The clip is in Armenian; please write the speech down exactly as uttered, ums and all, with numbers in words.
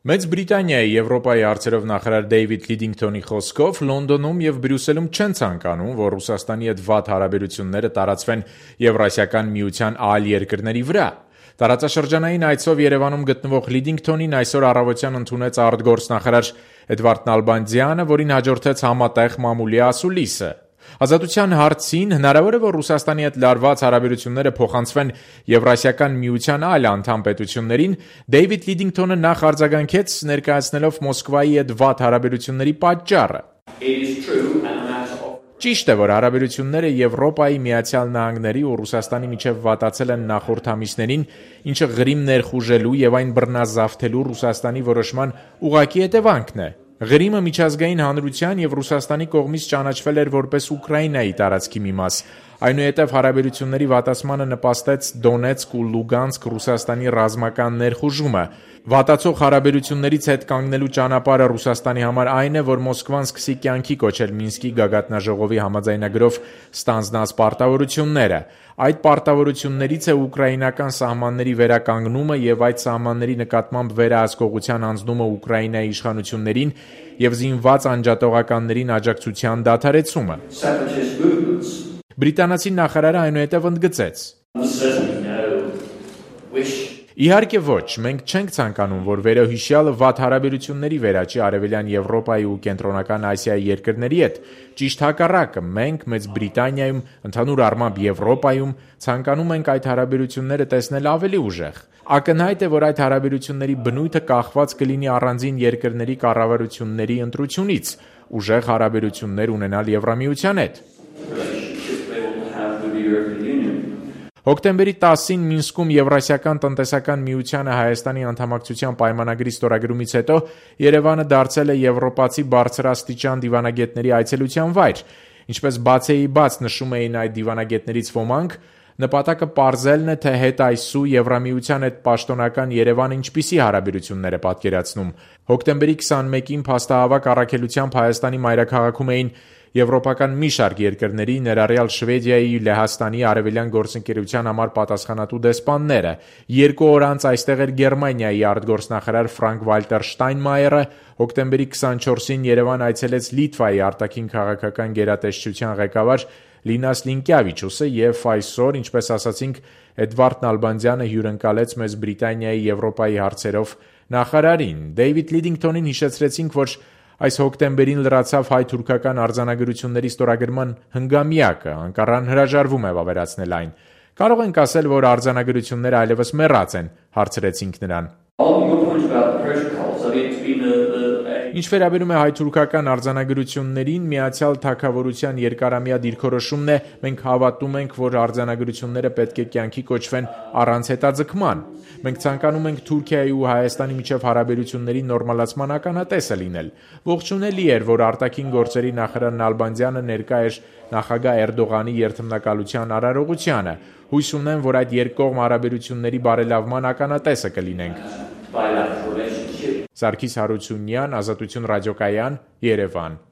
Մեծ Բրիտանիայի Եվրոպայի հարցերով նախարար Դեյվիդ Լիդինգթոնի խոսքով Լոնդոնում եւ Բրյուսելում չեն ցանկանում, որ Ռուսաստանի հետ վատ հարաբերությունները տարածվեն Եվրասիական միության այլ երկրների վրա։ Տարածաշրջանային այցով Երևանում գտնվող Լիդինգթոնին այսօր առավոտյան ընդունեց արտգործնախարար Էդվարդ Նալբանդյանը, որին հաջորդեց համատեղ մամուլի ասուլիսը։ Ազատության հարցին հնարավոր է, որ Ռուսաստանի հետ լարված հարաբերությունները փոխանցվեն Եվրասիական միության այլ անդամ պետություններին, Դեյվիդ Լիդինգթոնը նախ արձագանքեց, ներկայացնելով Մոսկվայի հետ վատ հարաբերությունների պատճառը։ Ճիշտ է, որ հարաբերությունները Եվրոպայի, Միացյալ Նահանգների ու Ռուսաստանի միջև վատացել են նախորդ ամիսներին, ինչը Ղրիմ ներխուժելու եւ այն բռնազավթելու Ռուսաստանի որոշման ուղղակի հետևանքն է։ Ղրիմը միջազգային հանրության եւ Ռուսաստանի կողմից ճանաչվել էր որպես Ուկրաինայի տարածքի մի մաս։ Այնուհետև հարաբերությունների վատացմանը նպաստեց Դոնեցկ ու Լուգանսկ Ռուսաստանի ռազմական ներխուժումը։ Վատացող հարաբերություններից հետ կանգնելու ճանապարհը Ռուսաստանի համար այն է, որ Մոսկվան սկսի կյանքի կոչել Մինսկի գագաթնաժողովի համաձայնագրով ստանձնած պարտավորությունները։ Այդ պարտավորություններից է ուկրաինական սահմանների վերականգնումը եւ այդ սահմանների նկատմամբ վերահսկողության անձնումը Ուկրաինայի իշխանություններին եւ զինված անջատողականներին աջակցության դադարեցումը։ Բրիտանացի նախարարը այնուհետև ընդգծեց. Իհարկե ոչ, մենք չենք ցանկանում, որ վերոհիշյալը վատ հարաբերությունների վերաճի Արևելյան Եվրոպայի ու Կենտրոնական Ասիայի երկրների հետ։ Ճիշտ հակառակը, մենք Մեծ Բրիտանիայում, ընդհանուր առմամբ Եվրոպայում ցանկանում ենք այդ հարաբերությունները տեսնել ավելի ուժեղ։ Ակնհայտ է, որ այդ հարաբերությունների բնույթը կախված կլինի առանձին երկրների կառավարությունների ընտրությունից, ուժեղ հարաբերություններ ունենալ Եվրամիության հետ։ Հոկտեմբերի տասին Մինսկում Եվրասիական տնտեսական միությանը Հայաստանի անդամակցության պայմանագրի ստորագրումից հետո Երևանը դարձել է եվրոպացի բարձրաստիճան դիվանագետների այցելության վայր։ Ինչպես բացեի բաց նշում էին այդ դիվանագետներից ոմանք, նպատակը պարզելն է, թե հետ այսու Եվրամիության հետ պաշտոնական Երևանը ինչպիսի հարաբերություններ է պատկերացնում։ Հոկտեմբերի քսանմեկին փաստահավաք առաքելությամբ Հայաստանի մայրաքաղաքում էին եվրոպական մի շարք երկրների, ներառյալ Շվեդիայի, Լեհաստանի, Արևելյան գործընկերության համար պատասխանատու դեսպանները։ Երկու օր անց այստեղ էր Գերմանիայի արտգործնախարար Ֆրանկ Վալտեր Շտայնմայերը, հոկտեմբերի քսանչորսին Երևան այցելեց Լիտվայի արտաքին քաղաքական գերատեսչության ղեկավար Լինաս Լինկյավիչուսը եւ այսօր, ինչպես ասացինք, Էդվարդ Նալբանդյանը հյուրընկալեց Մեծ Բրիտանիայի Եվրոպայի հարցերով նախարարին։ Դեյվիդ Լիդինգթոնին հիշեցրեցինք, որ այս հոկտեմբերին լրացավ հայ-թուրքական արձանագրությունների ստորագրման հնգամյակը, Անկարան հրաժարվում է վավերացնել այն։ Կարող ենք ասել, որ արձանագրությունները այլևս մեռած են, հարցրեցինք նրան։ Ինչ վերաբերում է հայ-թուրքական արձանագրություններին, Միացյալ Թագավորության երկարամյա դիրքորոշումն է, մենք հավատում ենք, որ արձանագրությունները պետք է կյանքի կոչվեն առանց հետաձգման։ Մենք ցանկանում ենք Թուրքիայի ու Հայաստանի միջև հարաբերությունների նորմալացման ականատեսը լինել։ Ողջունելի էր, որ արտաքին գործերի նախարար Նալբանդյանը ներկա էր նախագահ Էրդողանի երթմնակալության արարողությանը։ Հույս ունեմ, որ այդ երկկողմ հարաբերությունների բարելավման ականատեսը կլինենք։ Սարգիս Հարությունյան, Ազատություն ռադիոկայան, Երևան։